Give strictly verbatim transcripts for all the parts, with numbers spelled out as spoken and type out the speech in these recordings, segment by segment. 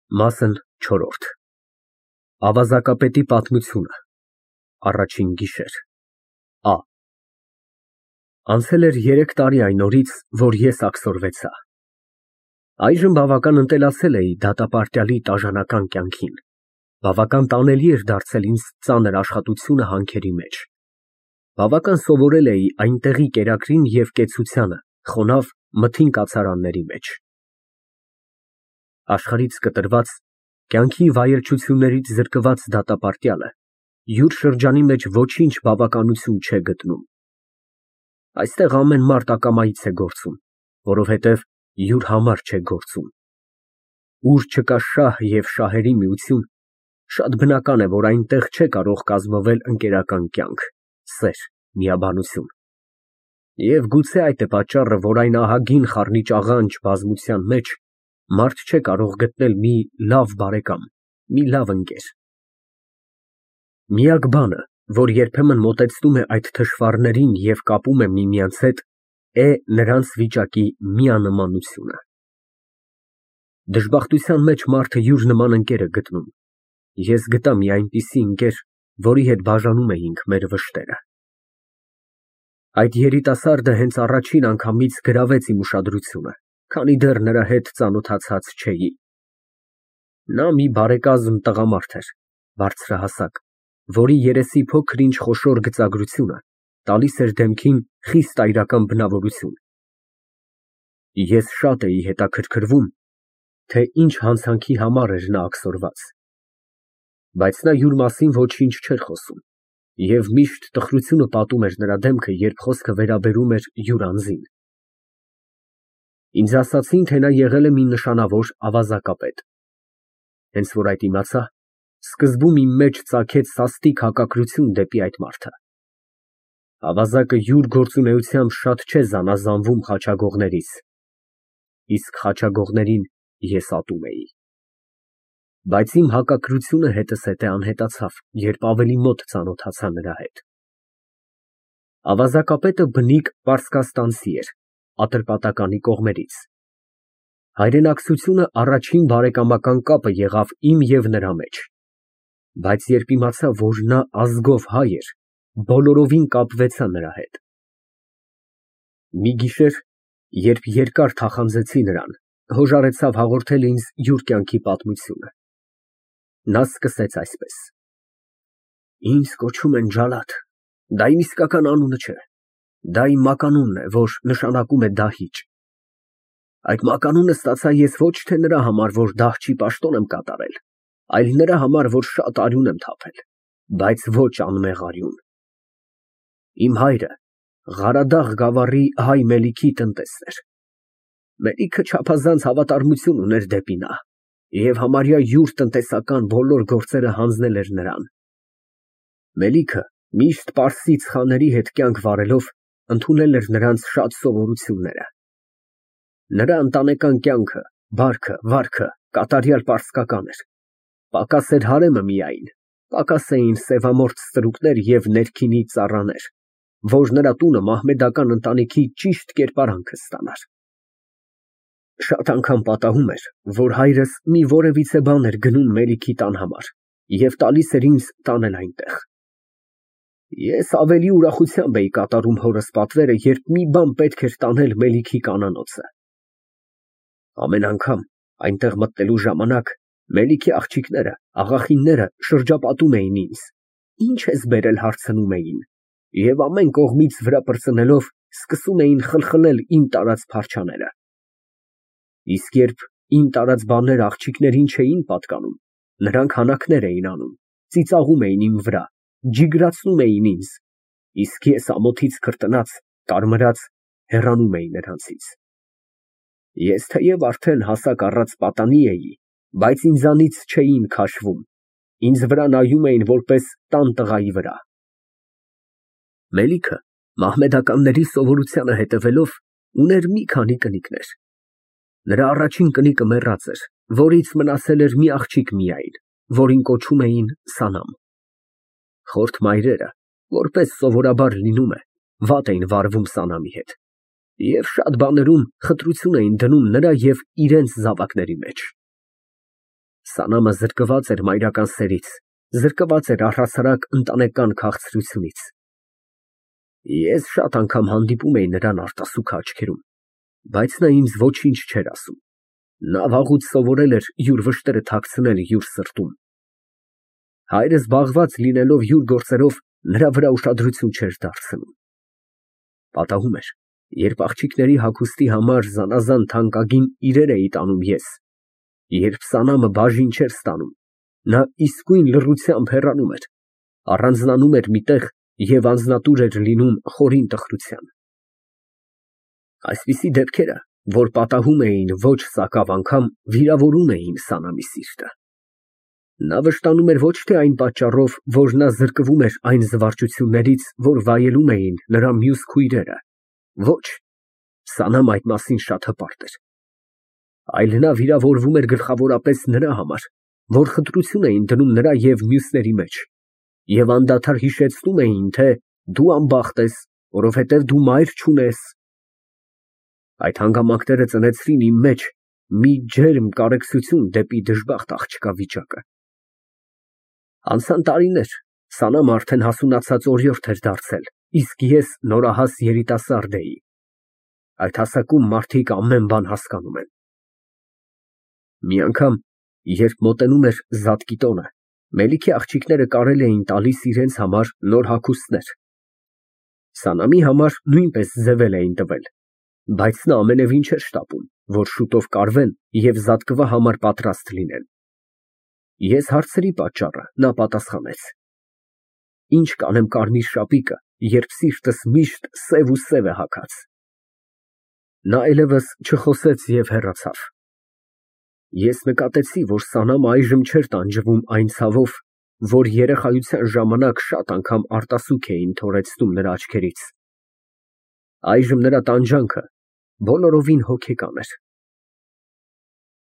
Մասն չորրորդ Ավազակապետի պատմությունը Առաջին գիշեր Ա Անցել էր երեք տարի այն օրից, որ ես աքսորվեցա։ Այժմ բավական ընտելացել էի դատապարտյալի տաժանական կյանքին, բավական տանելի էր դարձել ինձ ծանր աշխատությունը հանքերի մեջ, բավական սովորել էի այնտեղի կերակրին և կեցությանը խոնավ մթին կացարանների մեջ։ Աշխարհից կտրված, կյանքի վայելչություններից զրկված դատապարտյալը յուր շրջանի մեջ ոչինչ բավականություն չէ գտնում։ Այստեղ ամեն մարդ ակամայից է գործում, որովհետև յուր համար չէ գործում։ Ուր չկա շահ և շահերի միություն, շատ բնական է, որ այնտեղ չէ կարող կազմվել ընկերական կյանք, սեր, միաբանություն։ Եվ գուցե այդ է պատճառը, որ այն ահագին խառնիչ աղանջ բազմության մեջ մարդ չէ կարող գտնել մի լավ բարեկամ, մի լավ ընկեր։ Միակ բանը, որ երբեմն մոտեցնում է այդ թշվառներին և կապում է միմյանց հետ, է նրանց վիճակի միանմանությունը։ Դժբախտության մեջ մարդը յուր նման ընկեր է գտնում։ Ես գտա մի այնպիսի ընկեր, որի հետ բաժանում էինք մեր վշտերը։ Այդ երիտասարդը հենց առաջին անգամից գրավեց իմ ուշադրությունը, քանի դեռ նրա հետ ծանոթացած չէի։ Նա մի բարեկազմ տղամարդ էր, բարձրահասակ, որի երեսի փոքր-ինչ խոշոր գծագրությունը տալիս էր դեմքին խիստ այրական բնավորություն։ Ես շատ էի հետաքրքրվում, թե ինչ հանցանքի համար էր նա աքսորված, բայց նա յուր մասին ոչինչ չէր խոսում և միշտ տխրությունը պատում էր նրա դեմքը, երբ խոսքը վերաբերում էր յուր անձին։ Ինձ ասացին, թե նա եղել է մի նշանավոր ավազակապետ։ Հենց որ այդ իմացա, սկզբում իմ մեջ ծագեց սաստիկ հակակրություն դեպի այդ մարդը։ Ավազակը յուր գործունեությամբ շատ չէ զանազանվում խաչագողներից, իսկ խաչագողներին ես ատում էի։ Բայց իմ հակակրությունը հետզհետե անհետացավ, երբ ավելի մոտ ծանոթացա նրա հետ։ Ավազակապետը բնիկ պարսկաստանցի էր, Ատրպատականի կողմերից։ Հայրենակցությունը առաջին բարեկամական կապը եղավ իմ և նրա մեջ, բայց երբ իմացա, որ նա ազգով հայ էր, բոլորովին կապվեցա նրա հետ։ Մի գիշեր, երբ երկար թախանձեցի նրան, հոժարեցավ հաղորդել ինձ յուր կյանքի պատմությունը։ Նա սկսեց այսպես. Ինձ կոչում են Ջալաթ, դա իմ իսկական անունը չէ, դա իմ մականունն է, որ նշանակում է դահիճ։ Այդ մականունը ստացա ես ոչ թե նրա համար, որ դահչի պաշտոն եմ կատարել, այլ նրա համար, որ շատ արյուն եմ թափել, բայց ոչ անմեղ արյուն։ Իմ հայրը Ղարադաղ գավառի հայ Մելիքի տնտեսն էր։ Մելիքը չափազանց հավատարմություն ուներ դեպի նա և համարյա յուր տնտեսական բոլոր գործերը հանձնել էր նրան։ Մելիքը միշտ պարսից խաների հետ կյանք վարելով ընդունել էր նրանց շատ սովորությունները։ Նրա ընտանեկան կյանքը, բարքը, վարքը կատարյալ պարսկական էր։ Պակաս էր հարեմը միայն, պակաս էին սևամորթ ստրուկներ և ներքինի ծառաներ, որ նրա տունը մահմեդական ընտանիքի ճիշտ կերպարանքը ստանար։ Շատ անգամ պատահում էր, որ հայրս մի որևիցե բան էր գնում Մելիքի տան համար և տալիս էր ինձ տանել այնտեղ։ Ես ավելի ուրախությամբ էի կատարում հորս պատվերը, երբ մի բան պետք էր տանել Մելիքի կանանոցը։ Ամեն անգամ այնտեղ մտնելու ժամանակ Մելիքի աղջիկները, աղախինները շրջապատում էին ինձ. «Ի՞նչ ես բերել» հարցնում էին, և ամեն կողմից վրա պրծնելով սկսում էին խլխլել իմ տարած փարչաները։ Իսկ երբ իմ տարած բաները աղջիկներին չէին պատկանում, նրանք հանաքներ էին անում, ծիծաղում էին իմ վրա, ջիգրացնում էին ինձ, իսկ ես ամոթից քրտնած, կարմրած հեռանում էի նրանցից։ Ես թեև արդեն հասակ առած պատանի էի, բայց ինձանից չէին քաշվում, ինձ վրա նայում էին որպես տան տղայի վրա։ Մելիքը մահմեդականների սովորությանը հետևելով ուներ մի քանի կնիկներ։ Նրա առաջին կնիկը մեռած էր, որից մնացել էր մի աղջիկ միայն, որին կոչում էին Սանամ։ Խորթ մայրերը, որպես սովորաբար լինում է, վատ էին վարվում Սանամի հետ և շատ բաներում խտրություն էին դնում նրա և իրենց զավակների մեջ։ Սանամը զրկված էր մայրական սերից, զրկված էր առհասարակ ընտանեկան քաղցրությունից։ Ես շատ անգամ հանդիպում էի նրան արտասուքը աչքերում, բայց նա ինձ ոչինչ չէր ասում։ Նա վաղուց սովորել էր յուր վշտերը թաքցնել յուր սրտում։ Հայրը զբաղված լինելով յուր գործերով, նրա վրա ուշադրություն չէր դարձնում։ Պատահում էր, երբ աղջիկների հագուստի համար զանազան թանկագին իրեր էի տանում ես, երբ Սանամը բաժին չէր ստանում, նա իսկույն լռությամբ հեռանում էր, առանձնանում էր մի տեղ և անձնատուր էր լինում խորին տխրության։ Այսպիսի դեպքերը, որ պատահում էին ոչ սակավ անգամ, վիրավորում էին Սանամի սիրտը։ Նա վշտանում էր ոչ թե այն պատճառով, որ նա զրկվում էր այն զվարճություններից, որ վայելում էին նրա մյուս քույրերը, ոչ, Սանամը այդ մասին շատ հպարտ էր, այլ նա վիրավորվում էր գլխավորապես նրա համար, որ խտրություն էին դնում նրա և մյուսների մեջ, և անդադար հիշեցնում էին, թե դու անբախտ ես, որովհետև դու մայր չունես։ Այդ հանգամանքները ծնեցրին իմ մեջ մի ջերմ կարեկցություն դեպի դժբախտ աղջկա վիճակը։ Անցան տարիներ, Սանամը արդեն հասունացած օրիորդ էր դարձել, իսկ ես նորահաս երիտասարդ էի։ Այդ հասակում մարդիկ ամեն բան հասկանում են։ Մի անգամ, երբ մոտենում էր Զատկի տոնը, Մելիքի աղջիկները կարել էին տալիս իրենց համար նոր հագուստներ։ Սանամի համար նույնպես ձևել էին տվել, բայց նա ամենևին չէր շտապում, որ շուտով կարվեն և Զատկվա համար պատրաստ լինեն։ Ես հարցրի պատճառը, նա պատասխանեց. Ինչ կանեմ կարմիր շապիկը, երբ սիրտս միշտ սև ու սև է հագած։ Նա այլևս չխոսեց և հեռացավ։ Ես նկատեցի, որ Սանամը այժմ չէր տանջվում այն ցավով, որ երեխայության ժամանակ շատ անգամ արտասուք էին թորեցնում նրա աչքերից։ Այժմ նրա տանջանքը բոլորովին հոգեկան էր։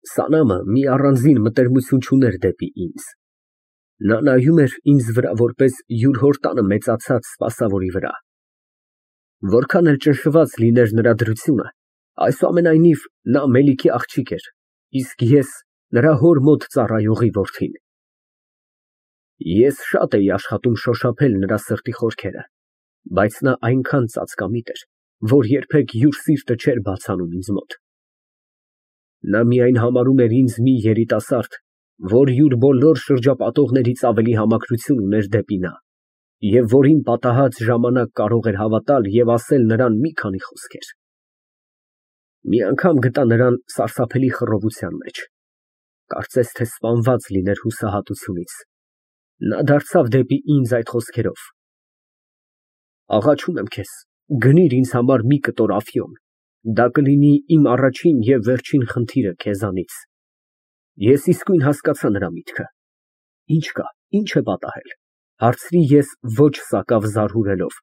Սանամը մի առանձին մտերմություն չուներ դեպի ինձ։ Նա նայում էր ինձ վրա որպես յուր հոր տանը մեծացած սպասավորի վրա։ Որքան էլ ճնշված լիներ նրա դրությունը, այսուամենայնիվ նա Մելիքի աղջիկ էր, իսկ ես նրա հոր մոտ ծառայողի որդին։ Ես շատ էի աշխատում շոշափել նրա սրտի խորքերը, բայց նա այնքան ծածկամիտ էր, որ երբեք յուր սիրտը չէր բացանում ինձ մոտ։ Նա միայն համարում էր ինձ մի երիտասարդ, որ յուր բոլոր շրջապատողներից ավելի համակրություն ուներ դեպի նա, և որին պատահած ժամանակ կարող էր հավատալ և ասել նրան մի քանի խոսքեր։ Մի անգամ գտա նրան սարսափելի խռովության մեջ, կարծես թե սպանված լիներ հուսահատությունից։ Նա դարձավ դեպի ինձ այդ խոսքերով. «Աղաչում եմ քեզ, գնիր ինձ համար մի կտոր աֆիոն, դա կլինի իմ առաջին և վերջին խնդիրը քեզանից»։ Ես իսկույն հասկացա նրա միտքը։ Ինչ կա, ինչ է պատահել, հարցրի ես ոչ սակավ զարհուրելով։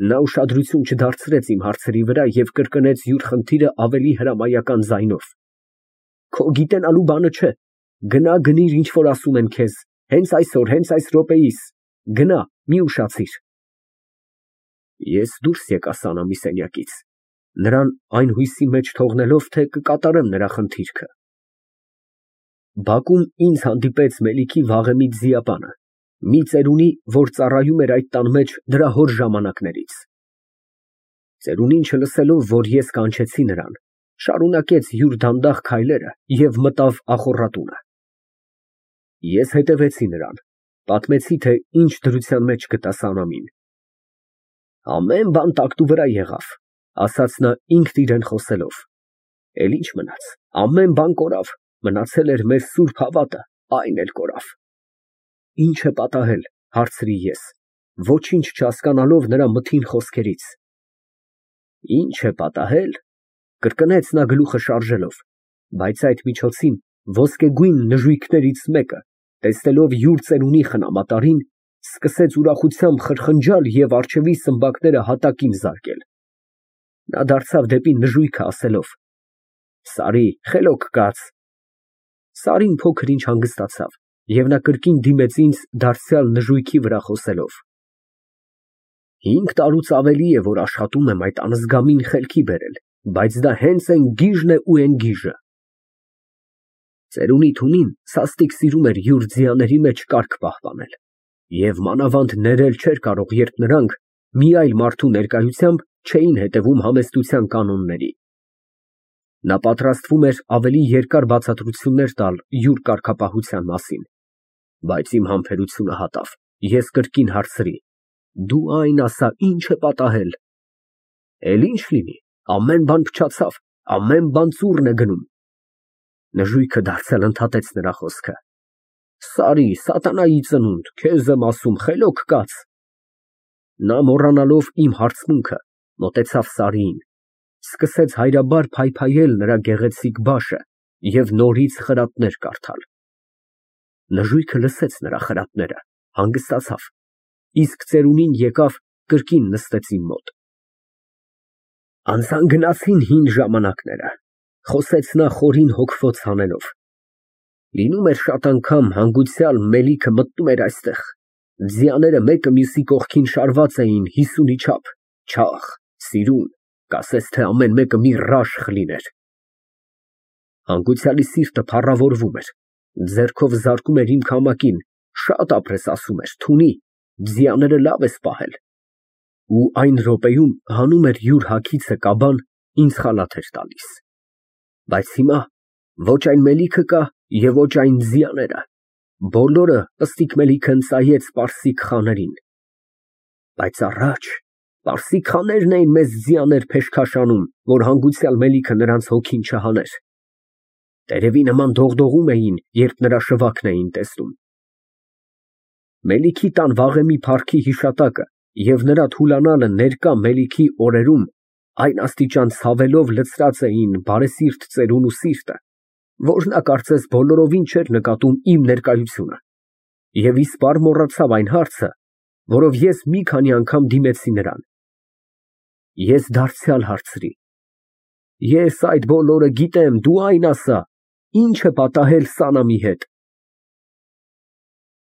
Նա ուշադրություն չդարձրեց իմ հարցերի վրա և կրկնեց յուր խնդիրը ավելի հրամայական ձայնով. «Քո գիտենալու բանը չէ, գնա գնիր ինչ որ ասում են քեզ, հենց այսօր, հենց այս րոպեիս, գնա, մի ուշացիր»։ Ես դուրս եկա Սանամի սենյակից, նրան այն հույսի մեջ թողնելով, թե կկատարեմ նրա խնդիրքը։ Բակում ինձ հանդիպեց Մելիքի վաղեմի ձիապանը, մի ծերունի, որ ծառայում էր այդ տան մեջ դրա հոր ժամանակներից։ Ծերունին չլսելով, որ ես կանչեցի նրան, շարունակեց յուր դանդաղ քայլերը և մտավ ախոռատունը։ Ես հետևեցի նրան, պատմեցի, թե ինչ դրության մեջ գտա Սանամին։ Ամեն բան տակտու վրա եղավ, ասաց նա ինքն իրան խոսելով, էլ ինչ մնաց, ամեն բան կորավ, մնացել էր մեր սուրբ հավատը, այն էլ կորավ։ Ինչ է պատահել, հարցրի ես, ոչինչ չհասկանալով նրա մթին խոսքերից։ Ինչ է պատահել, կրկնեց նա գլուխը շարժելով, բայց այդ միջոցին ոսկեգույն նժույգներից մեկը, տեսնելով յուր ծերունի խնամատարին, սկսեց ուրախությամբ խրխնջալ և առջևի սմբակները հատակին զարկել։ Նա դարձավ դեպի նժույգը ասելով. «Սարի, խելոք կաց»։ Սարին փոքր ինչ հանգստացավ, և նա կրկին դիմեց ինձ դարձյալ նժույգի վրա խոսելով. «Հինգ տարուց ավելի է, որ աշխատում եմ այդ անզգամին խելքի բերել, բայց դա հենց էն գիժն է ու էն գիժը»։ Ծերունի թունին սաստիկ սիրում էր յուր ձիաների մեջ կարգ պահպանել և մանավանդ ներել չէր կարող, երբ նրանք մի այլ մարդու ներկայությամբ չէին հետևում համեստության կանոնների։ Նա պատրաստվում էր ավելի երկար բացատրություններ տալ յուր կարգապահության մասին, բայց իմ համբերությունը հատավ, ես կրկին հարցրի. «Դու այն ասա, ի՞նչ է պատահել»։ «Էլ ի՞նչ լինի, ամեն բան փչացավ, ամեն բան ծուռն է գնում»։ Նժույգը դարձյալ ընդհատեց նրա խոսքը։ «Սարի, սատանայի ծնունդ, քեզ եմ ասում, խելոք կաց»։ Նա, մոռանալով իմ հարցմունքը, մոտեցավ Սարիին, սկսեց հայրաբար փայփայել նրա գեղեցիկ բաշը և նորից խրատներ կարդալ։ Նժույգը լսեց նրա խրատները, հանգստացավ, իսկ ծերունին եկավ, կրկին նստեց իմ մոտ։ Անցան գնացին հին ժամանակները, խոսեց նա խորին հոգվոց հանելով։ Լինում էր շատ անգամ հանգուցյալ Մելիքը մտնում էր այստեղ, ձիաները մեկը մյուսի կողքին շարված էին հիսունի չափ, չաղ, սիրուն, կասես թե ամեն մեկը մի ռաշխ լիներ։ Հանգուցյալի սիրտը փառավորվում էր, ձեռքով զարկում էր իմ քամակին, շատ ապրես, ասում էր, թունի, ձիաները լավ ես պահել։ Ու այն րոպեում հանում էր յուր հագիծը կաբան, ինձ խալաթ էր տալիս։ Բայց հիմա ոչ այն Մելիքը կա և ոչ այն ձիաները, բոլորը Պստիկ Մելիքն ծայեց պարսիկ խաներին։ Բայց առաջ պարսիկ խաներն էին մեզ ձիաներ փեշքաշանում, որ հանգուցյալ Մելիքը նրանց հոգին չհաներ։ Տերևի նման դողդողում էին, երբ նրա շվաքն էին տեսնում։ Մելիքի տան վաղեմի փառքի հիշատակը և նրա թուլանալը ներկա Մելիքի օրերում այն աստիճան ցավելով լցրած էին բարեսիրտ ծերունու սիրտը, որ նա կարծես բոլորովին չէր նկատում իմ ներկայությունը և իսպառ մոռացավ այն հարցը, որով ես մի քանի անգամ դիմեցի նրան։ Ես դարձյալ հարցրի. «Ես այդ բոլորը գիտեմ, դու այն ասա, ի՞նչ է պատահել Սանամի հետ»։